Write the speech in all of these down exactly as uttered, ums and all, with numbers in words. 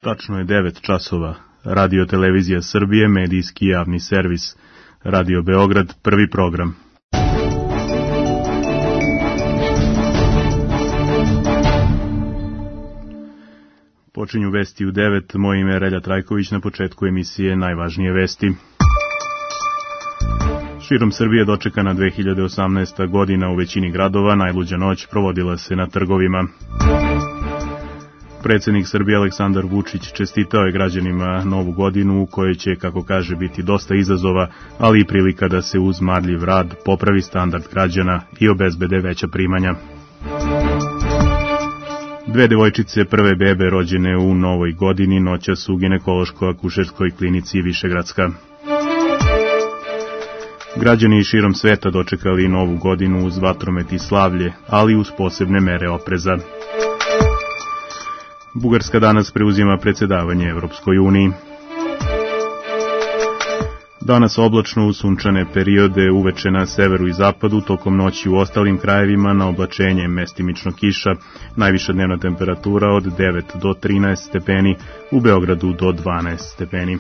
Tačno je devet časova. Radio Televizija Srbije, medijski javni servis. Radio Beograd, prvi program. Počinju vesti u devet, moje ime je Relja Trajković, na početku emisije najvažnije vesti. Širom Srbije dočekana dve hiljade osamnaesta godina u većini gradova, najluđa noć provodila se na trgovima. Predsjednik Srbije Aleksandar Vučić čestitao je građanima novu godinu u kojoj će, kako kaže, biti dosta izazova, ali i prilika da se uz marljiv rad popravi standard građana i obezbede veća primanja. Dve devojčice, prve bebe rođene u novoj godini, noćas u ginekološko-akušerskoj klinici Višegradska. Građani širom sveta dočekali novu godinu uz vatromet i slavlje, ali uz posebne mere opreza. Bugarska danas preuzima predsjedavanje Evropskoj uniji. Danas oblačno u sunčane periode, uveče na severu i zapadu, tokom noći u ostalim krajevima na oblačenje, mestimično kiša, najviša dnevna temperatura od devet do trinaest stepeni, u Beogradu do dvanaest stepeni.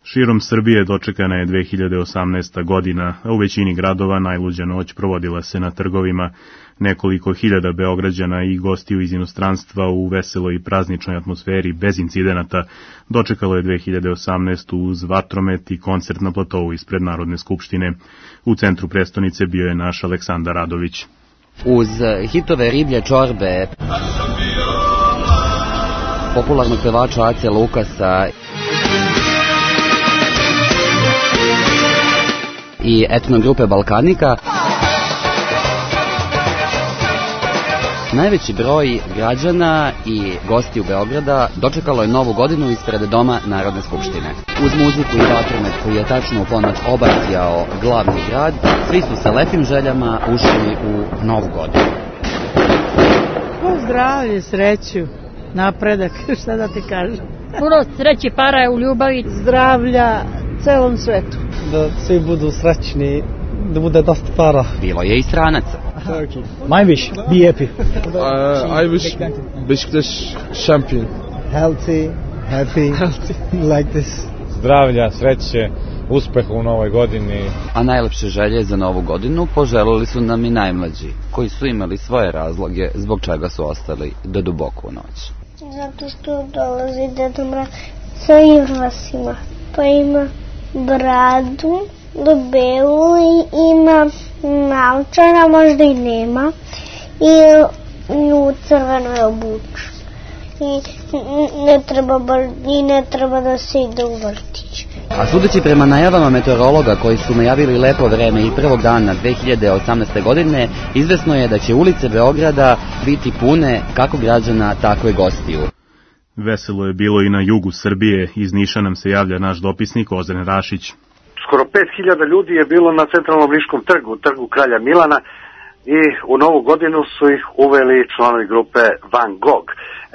Širom Srbije dočekana je dve hiljade osamnaesta godina, a u većini gradova najluđa noć provodila se na trgovima. Nekoliko hiljada Beograđana i gostiju iz inostranstva u veseloj i prazničnoj atmosferi bez incidenata dočekalo je dve hiljade osamnaestu uz vatromet i koncert na platovu ispred Narodne skupštine. U centru prestonice bio je naš Aleksandar Radović. Uz hitove Riblje čorbe, popularnog pevača Ace Lukasa i etnogrupe Balkanika, najveći broj građana i gostiju Beograda dočekalo je novu godinu ispred Doma Narodne skupštine. Uz muziku i vatromet koji je tačno u ponoć obasjao glavni grad, svi su sa lepim željama ušli u novu godinu. Zdravlje, sreću, napredak, šta da ti kažem. Puno sreće, para je u ljubavi. Zdravlja celom svetu. Da svi budu srećni, da bude dosta para. Bilo je i stranaca. My wish, be happy. Uh, I wish Beşiktaş champion. Healthy, happy, like this. Zdravlja, sreće, uspeha u novoj godini. A najlepše želje za novu godinu poželili su nam i najmlađi, koji su imali svoje razloge zbog čega su ostali do duboko u noć. Zato što dolazi Deda Mraz sa irvasima, pa ima bradu do belu i ima naočara, možda i nema, i, i u crvenoj obuču. I ne treba, i ne treba da se ide u vrtić. A sudeći prema najavama meteorologa koji su najavili lepo vreme i prvog dana dve hiljade osamnaeste. godine, izvesno je da će ulice Beograda biti pune kako građana, tako i gostiju. Veselo je bilo i na jugu Srbije. Iz Niša nam se javlja naš dopisnik Ozren Rašić. Skoro pet hiljada ljudi je bilo na centralnom Niškom trgu, trgu Kralja Milana, i u novu godinu su ih uveli članovi grupe Van Gogh.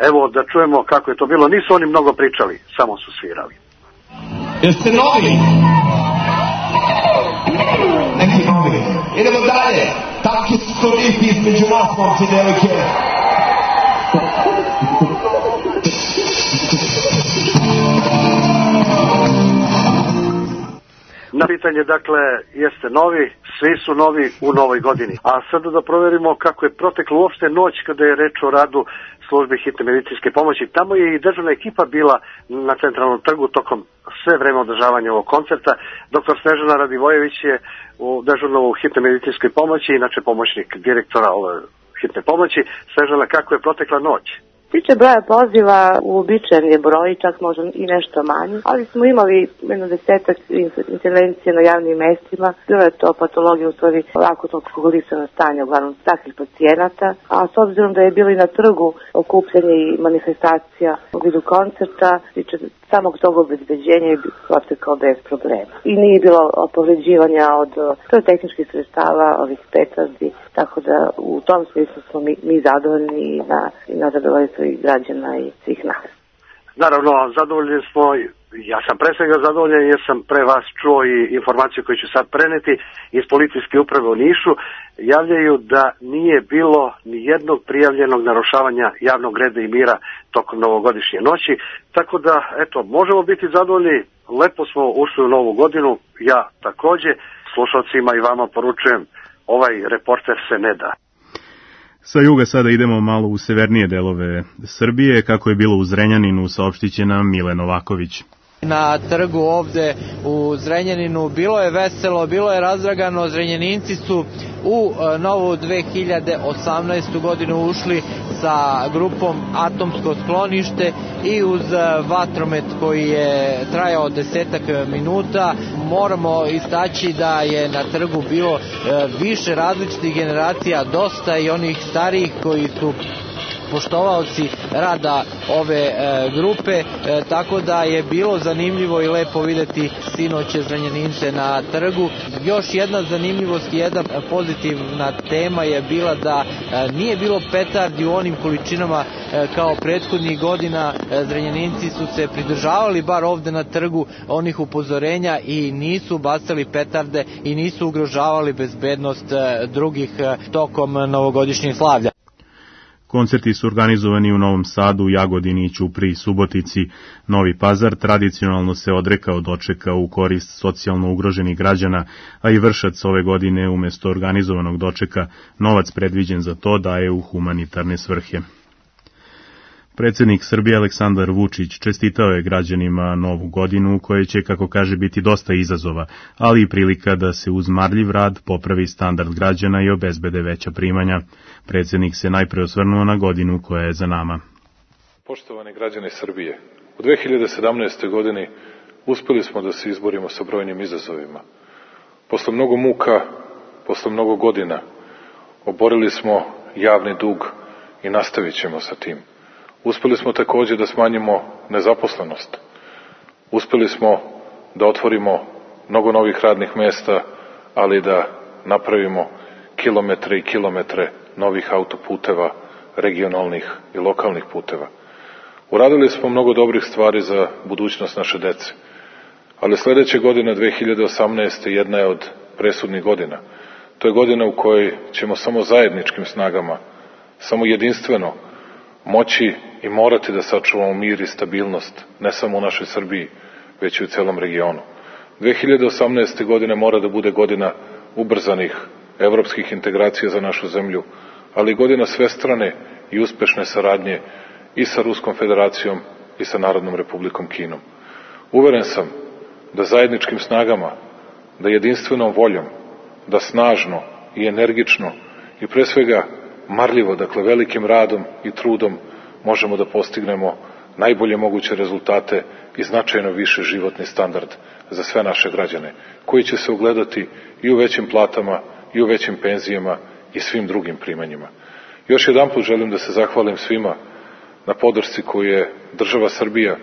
Evo da čujemo kako je to bilo. Nisu oni mnogo pričali, samo su svirali. Jeste novi? Neki novi. Idemo dalje. Takvi su lipi između nas, momci, devojke. Na pitanje, dakle, jeste novi, svi su novi u novoj godini. A sada da proverimo kako je protekla uopšte noć kada je reč o radu službe hitne medicinske pomoći. Tamo je i državna ekipa bila na centralnom trgu tokom sve vreme održavanja ovog koncerta. Doktor Snežana Radivojević je u dežurno u hitne medicinskoj pomoći, inače pomoćnik direktora ove hitne pomoći. Snežana, kako je protekla noć? Tiče broja poziva, uobičajen je broj, čak možda i nešto manji, ali smo imali jedno desetak intervencije na javnim mestima. Bilo je to patologija u stvari akutnog alkoholisanog stanja, uglavnom takvih pacijenata, a s obzirom da je bilo i na trgu okupljanje i manifestacija u vidu koncerta, tiče samog tog obezbeđenja je protekao bez problema. I nije bilo povređivanja od tehničkih sredstava, ovih petardi, tako da u tom smislu smo mi, mi zadovoljni i na, i na zadovoljstvo i građana i svih nas. Naravno, zadovoljni smo ja sam pre svega zadovoljan jer sam pre vas čuo i informaciju koju ću sad preneti iz policijske uprave u Nišu. Javljaju da nije bilo ni jednog prijavljenog narušavanja javnog reda i mira tokom novogodišnje noći, tako da, eto, možemo biti zadovoljni, lepo smo ušli u novu godinu, ja takođe, slušalcima i vama poručujem, ovaj reporter se ne da. Sa juga sada idemo malo u severnije delove Srbije, kako je bilo u Zrenjaninu, saopštit će nam Mile Novaković. Na trgu ovde u Zrenjaninu bilo je veselo, bilo je razdragano, Zrenjaninci su u novu dve hiljade osamnaestu godinu ušli sa grupom Atomsko sklonište i uz vatromet koji je trajao desetak minuta. Moramo istaći da je na trgu bilo više različitih generacija, dosta i onih starijih koji su poštovaoci rada ove e, grupe, e, tako da je bilo zanimljivo i lepo videti sinoće Zrenjanince na trgu. Još jedna zanimljivost i jedna pozitivna tema je bila da e, nije bilo petardi u onim količinama e, kao prethodnih godina. E, Zrenjaninci su se pridržavali bar ovde na trgu onih upozorenja i nisu bacali petarde i nisu ugrožavali bezbednost e, drugih e, tokom novogodišnjeg slavlja. Koncerti su organizovani u Novom Sadu, Jagodini, Ćupriji, Subotici. Novi Pazar tradicionalno se odrekao dočeka u korist socijalno ugroženih građana, a i Vršac ove godine umesto organizovanog dočeka novac predviđen za to daje u humanitarne svrhe. Predsjednik Srbije Aleksandar Vučić čestitao je građanima novu godinu koje će, kako kaže, biti dosta izazova, ali i prilika da se uz marljiv rad popravi standard građana i obezbede veća primanja. Predsjednik se najpre osvrnuo na godinu koja je za nama. Poštovani građani Srbije, u dve hiljade sedamnaestoj godini uspeli smo da se izborimo sa brojnim izazovima. Posle mnogo muka, posle mnogo godina, oborili smo javni dug i nastavit ćemo sa tim. Uspeli smo takođe da smanjimo nezaposlenost. Uspeli smo da otvorimo mnogo novih radnih mesta, ali da napravimo kilometre i kilometre novih autoputeva, regionalnih i lokalnih puteva. Uradili smo mnogo dobrih stvari za budućnost naše dece, ali sledeće godine, dve hiljade osamnaeste. jedna je od presudnih godina. To je godina u kojoj ćemo samo zajedničkim snagama, samo jedinstveno moći i morati da sačuvamo mir i stabilnost, ne samo u našoj Srbiji, već i u celom regionu. dve hiljade osamnaeste. godine mora da bude godina ubrzanih evropskih integracija za našu zemlju, ali i godina svestrane i uspešne saradnje i sa Ruskom federacijom i sa Narodnom republikom Kinom. Uveren sam da zajedničkim snagama, da jedinstvenom voljom, da snažno i energično i pre svega marljivo, dakle velikim radom i trudom, možemo da postignemo najbolje moguće rezultate i značajno više životni standard za sve naše građane, koji će se ogledati i u većim platama, i u većim penzijama i svim drugim primanjima. Još jedanput želim da se zahvalim svima na podršci koju je država Srbija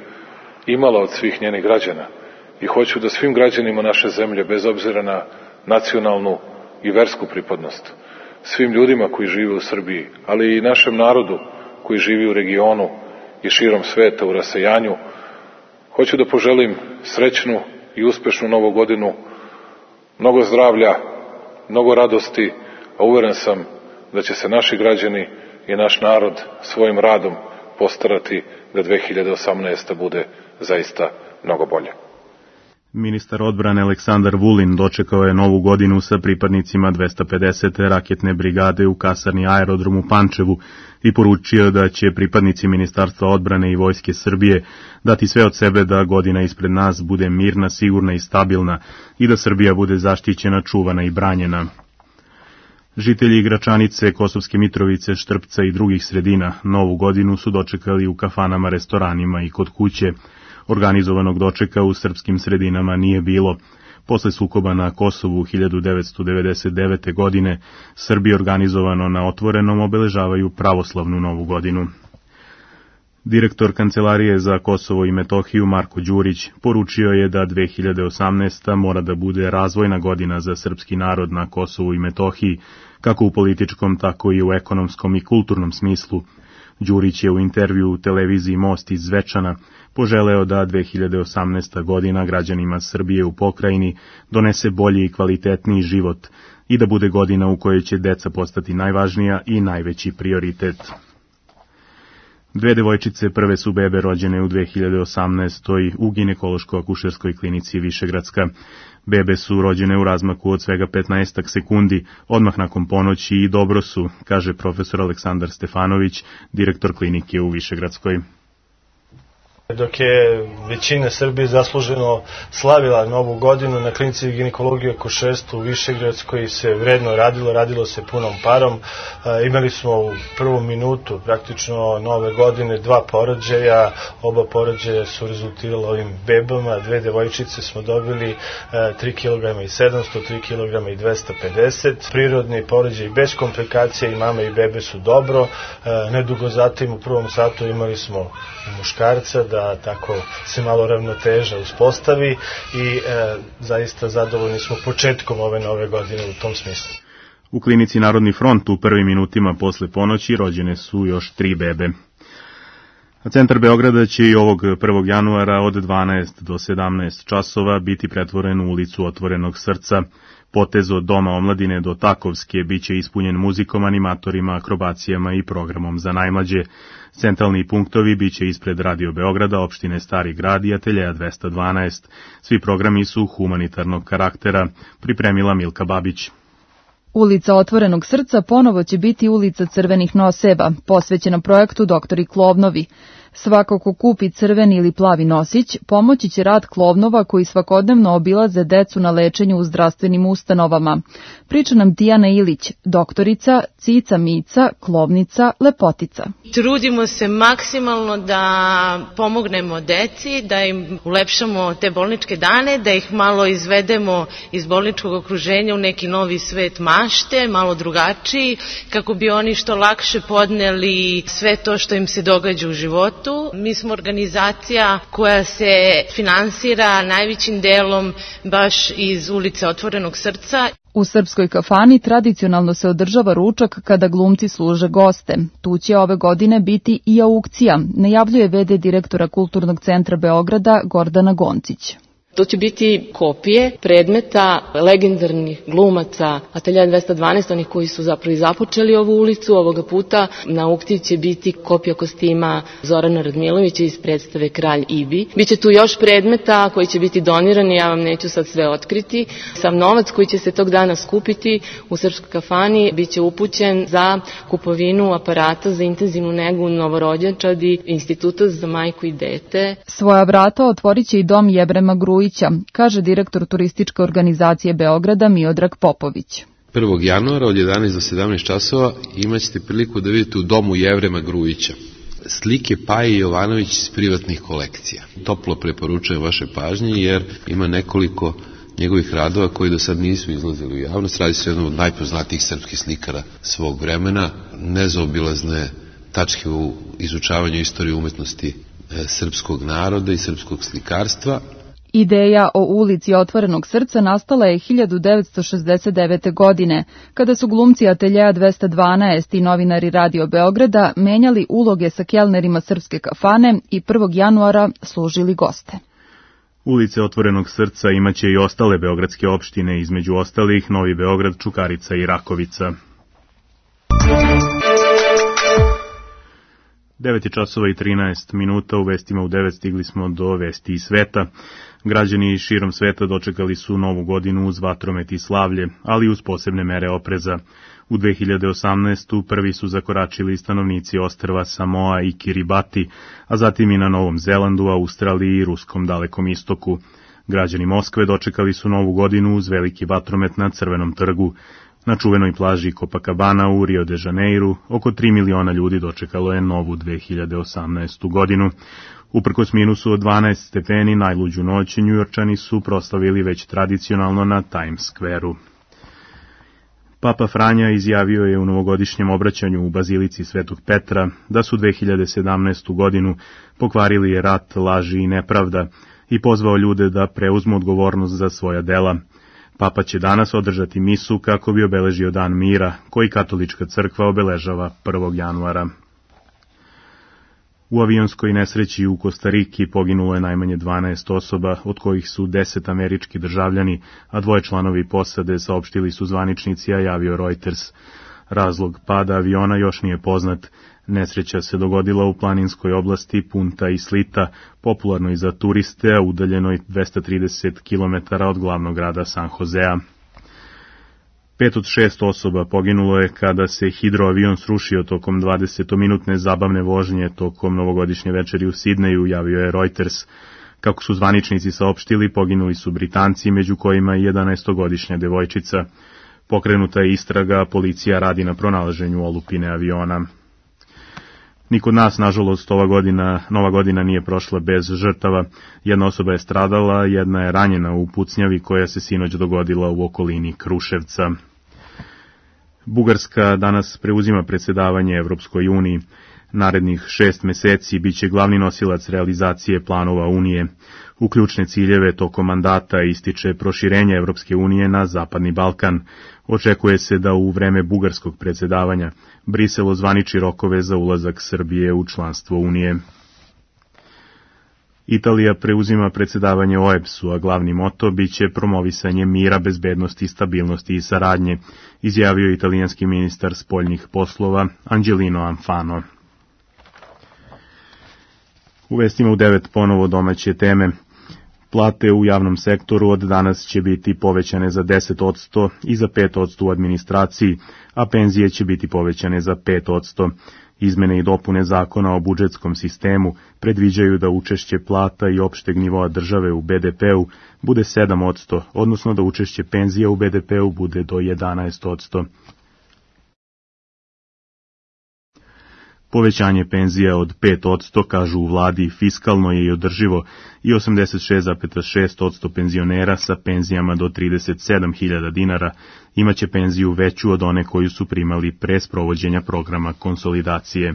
imala od svih njenih građana i hoću da svim građanima naše zemlje, bez obzira na nacionalnu i versku pripadnost, svim ljudima koji žive u Srbiji, ali i našem narodu koji živi u regionu i širom sveta u rasejanju, hoću da poželim srećnu i uspešnu novu godinu, mnogo zdravlja, mnogo radosti, a uveren sam da će se naši građani i naš narod svojim radom postarati da dve hiljade osamnaesta. bude zaista mnogo bolje. Ministar odbrane Aleksandar Vulin dočekao je novu godinu sa pripadnicima dvesta pedesete raketne brigade u kasarni Aerodrom u Pančevu i poručio da će pripadnici Ministarstva odbrane i Vojske Srbije dati sve od sebe da godina ispred nas bude mirna, sigurna i stabilna i da Srbija bude zaštićena, čuvana i branjena. Žitelji Gračanice, Kosovske Mitrovice, Štrpca i drugih sredina novu godinu su dočekali u kafanama, restoranima i kod kuće. Organizovanog dočeka u srpskim sredinama nije bilo. Posle sukoba na Kosovu hiljadu devetsto devedeset devete. godine, Srbi organizovano na otvorenom obeležavaju pravoslavnu novu godinu. Direktor Kancelarije za Kosovo i Metohiju Marko Đurić poručio je da dve hiljade osamnaesta. mora da bude razvojna godina za srpski narod na Kosovu i Metohiji, kako u političkom, tako i u ekonomskom i kulturnom smislu. Đurić je u intervju u televiziji Most iz Zvečana poželeo da dve hiljade osamnaesta. godina građanima Srbije u pokrajini donese bolji i kvalitetniji život i da bude godina u kojoj će deca postati najvažnija i najveći prioritet. Dve devojčice prve su bebe rođene u dve hiljade osamnaestoj. u ginekološko-akušerskoj klinici Višegradska. Bebe su rođene u razmaku od svega petnaestak sekundi, odmah nakon ponoći i dobro su, kaže profesor Aleksandar Stefanović, direktor klinike u Višegradskoj. Dok je većina Srbije zasluženo slavila novu godinu, na klinici ginekologije i akušerstva u Višegradskoj se vredno radilo, radilo se punom parom. E, imali smo u prvom minutu praktično nove godine dva porođaja, oba porođaja su rezultirala ovim bebama, dve devojčice smo dobili e, tri kilograma i sedamsto, tri kilograma i dvesta pedeset. Prirodni porođaj bez komplikacija i mama i bebe su dobro. E, nedugo zatim u prvom satu imali smo muškarca, da tako se malo ravnoteža uspostavi i e, zaista zadovoljni smo početkom ove nove godine u tom smislu. U klinici Narodni front u prvim minutima posle ponoći rođene su još tri bebe. A centar Beograda će i ovog prvog januara od dvanaest do sedamnaest časova biti pretvoren u ulicu Otvorenog srca. Potez od Doma omladine do Takovske biće ispunjen muzikom, animatorima, akrobacijama i programom za najmlađe. Centralni punktovi biće ispred Radio Beograda, opštine Stari grad i Ateljeja dvesta dvanaest. Svi programi su humanitarnog karaktera, pripremila Milka Babić. Ulica Otvorenog srca ponovo će biti ulica crvenih noseva, posvećena projektu Doktori Klovnovi. Svako ko kupi crveni ili plavi nosić, pomoći će rad klovnova koji svakodnevno obilaze decu na lečenju u zdravstvenim ustanovama. Priča nam Tijana Ilić, doktorica, cica mica, klovnica, lepotica. Trudimo se maksimalno da pomognemo deci, da im ulepšamo te bolničke dane, da ih malo izvedemo iz bolničkog okruženja u neki novi svet mašte, malo drugačiji, kako bi oni što lakše podneli sve to što im se događa u životu. Mi smo organizacija koja se finansira najvećim delom baš iz ulice Otvorenog srca. U Srpskoj kafani tradicionalno se održava ručak kada glumci služe goste. Tu će ove godine biti i aukcija, najavljuje ve de direktora Kulturnog centra Beograda Gordana Goncić. To će biti kopije predmeta legendarnih glumaca Ateljeja dvesta dvanaest, onih koji su zapravo i započeli ovu ulicu. Ovoga puta na aukciji će biti kopija kostima Zorana Radmilovića iz predstave Kralj Ibi. Biće tu još predmeta koji će biti donirani, ja vam neću sad sve otkriti. Sam novac koji će se tog dana skupiti u Srpskoj kafani biće upućen za kupovinu aparata za intenzivnu negu novorođenčadi Instituta za majku i dete. Svoja vrata otvorit će i dom Jevrema Grujića, kaže direktor turističke organizacije Beograda Miodrag Popović. prvog januara od jedanaest do sedamnaest časova imat ćete priliku da vidite u domu Jevrema Grujića slike Paje Jovanović iz privatnih kolekcija. Toplo preporučujem vaše pažnje jer ima nekoliko njegovih radova koji do sad nisu izlazili u javnost. Radi se o jednom od najpoznatijih srpskih slikara svog vremena, nezaobilazne tačke u izučavanju istorije umetnosti srpskog naroda i srpskog slikarstva. Ideja o ulici Otvorenog srca nastala je hiljadu devetsto šezdeset devete. godine, kada su glumci Ateljeja dvesta dvanaest i novinari Radio Beograda menjali uloge sa kelnerima Srpske kafane i prvog januara služili goste. Ulice Otvorenog srca imaće i ostale beogradske opštine, između ostalih Novi Beograd, Čukarica i Rakovica. devet časova i trinaest minuta, u vestima u devet stigli smo do vesti iz sveta. Građani širom sveta dočekali su novu godinu uz vatromet i slavlje, ali uz posebne mere opreza. U dve hiljade osamnaestoj. prvi su zakoračili stanovnici ostrva Samoa i Kiribati, a zatim i na Novom Zelandu, Australiji i Ruskom dalekom istoku. Građani Moskve dočekali su novu godinu uz veliki vatromet na Crvenom trgu. Na čuvenoj plaži Copacabana u Rio de Janeiru oko tri miliona ljudi dočekalo je novu dve hiljade osamnaestu. godinu. Uprkos minusu od dvanaest stepeni, najluđu noć Njujorčani su proslavili već tradicionalno na Times Square-u. Papa Franja izjavio je u novogodišnjem obraćanju u Bazilici Svetog Petra da su dve hiljade sedamnaestu. godinu pokvarili rat, laži i nepravda i pozvao ljude da preuzmu odgovornost za svoja dela. Papa će danas održati misu kako bi obeležio Dan mira, koji katolička crkva obeležava prvog januara. U avionskoj nesreći u Kostariki poginulo je najmanje dvanaest osoba, od kojih su deset američki državljani, a dvoje članovi posade, saopštili su zvaničnici, a javio Reuters. Razlog pada aviona još nije poznat. Nesreća se dogodila u planinskoj oblasti Punta i Slita, popularnoj za turiste, a udaljenoj dvesta trideset kilometara od glavnog grada San Josea. Pet od šest osoba poginulo je kada se hidroavion srušio tokom dvadesetominutne zabavne vožnje tokom novogodišnje večeri u Sidneju, javio je Reuters. Kako su zvaničnici saopštili, poginuli su Britanci, među kojima i jedanaestogodišnja devojčica. Pokrenuta je istraga, policija radi na pronalaženju olupine aviona. Ni kod nas, nažalost, ova godina, nova godina nije prošla bez žrtava. Jedna osoba je stradala, jedna je ranjena u pucnjavi koja se sinoć dogodila u okolini Kruševca. Bugarska danas preuzima predsjedavanje Evropskoj uniji. Narednih šest meseci biće glavni nosilac realizacije planova Unije. U ključne ciljeve tokom mandata ističe proširenje Evropske unije na Zapadni Balkan. Očekuje se da u vreme bugarskog predsjedavanja Brisel ozvaniči rokove za ulazak Srbije u članstvo Unije. Italija preuzima predsjedavanje O E B S-u, a glavni moto biće promovisanje mira, bezbednosti, stabilnosti i saradnje, izjavio italijanski ministar spoljnih poslova Angelino Alfano. U vestima u devet ponovo domaće teme. Plate u javnom sektoru od danas će biti povećane za deset posto i za pet posto u administraciji, a penzije će biti povećane za pet posto. Izmene i dopune zakona o budžetskom sistemu predviđaju da učešće plata i opšteg nivoa države u be de pe-u bude sedam posto, odnosno da učešće penzija u be de pe-u bude do jedanaest posto. Povećanje penzija od pet posto, kažu u vladi, fiskalno je i održivo i osamdeset šest zarez šest posto penzionera sa penzijama do trideset sedam hiljada dinara imaće penziju veću od one koju su primali pre sprovođenja programa konsolidacije.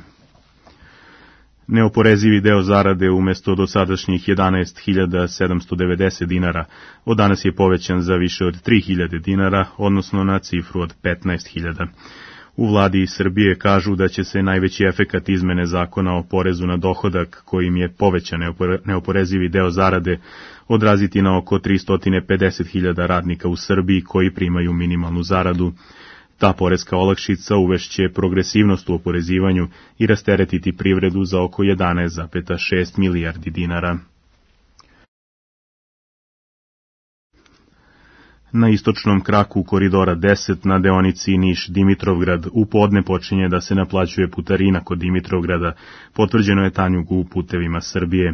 Neoporezivi deo zarade umjesto dosadašnjih jedanaest hiljada sedamsto devedeset dinara od danas je povećan za više od tri hiljade dinara, odnosno na cifru od petnaest hiljada. U vladi Srbije kažu da će se najveći efekat izmene zakona o porezu na dohodak, kojim je povećan neoporezivi deo zarade, odraziti na oko tristo pedeset hiljada radnika u Srbiji koji primaju minimalnu zaradu. Ta poreska olakšica uvešće progresivnost u oporezivanju i rasteretiti privredu za oko jedanaest zarez šest milijardi dinara. Na istočnom kraku koridora deset na deonici Niš-Dimitrovgrad u podne počinje da se naplaćuje putarina kod Dimitrovgrada, potvrđeno je Tanjugu u putevima Srbije.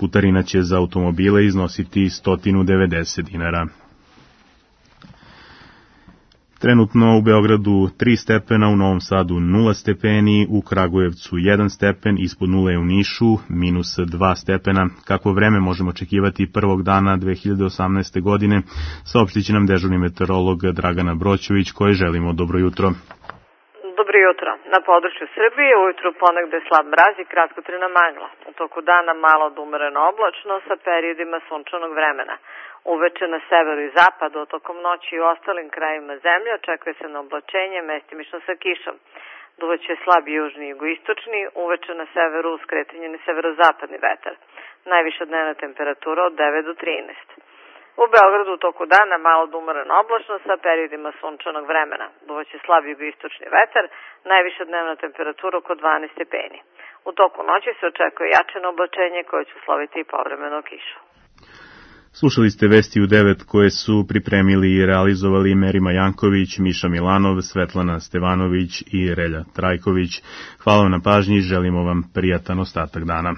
Putarina će za automobile iznositi sto devedeset dinara. Trenutno u Beogradu tri stepena, u Novom Sadu nula stepeni, u Kragujevcu jedan stepen, ispod nule je u Nišu, minus dva stepena. Kakvo vreme možemo očekivati prvog dana dve hiljade osamnaeste. godine, saopštit će nam dežurni meteorolog Dragana Broćević, koji želimo dobro jutro. Dobro jutro. Na području Srbije ujutru ponegde slab mraz i kratkotrajna magla. U toku dana malo od umereno oblačno sa periodima sunčanog vremena. Uveče na severu i zapadu, tokom noći i u ostalim krajima zemlje očekuje se na oblačenje, mestimično sa kišom. Duvaće slab južni i jugoistočni, uveče na severu uz kretanje na severozapadni vetar. Najviša dnevna temperatura od devet do trinaest. U Beogradu u toku dana malo od umereno oblačno sa periodima sunčanog vremena. Duvaće slab jugoistočni vetar, najviša dnevna temperatura oko dvanaest stepeni. U toku noći se očekuje jačeno oblačenje koje će usloviti i povremeno kišu. Slušali ste Vesti u devet koje su pripremili i realizovali Merima Janković, Miša Milanov, Svetlana Stevanović i Relja Trajković. Hvala vam na pažnji i želimo vam prijatan ostatak dana.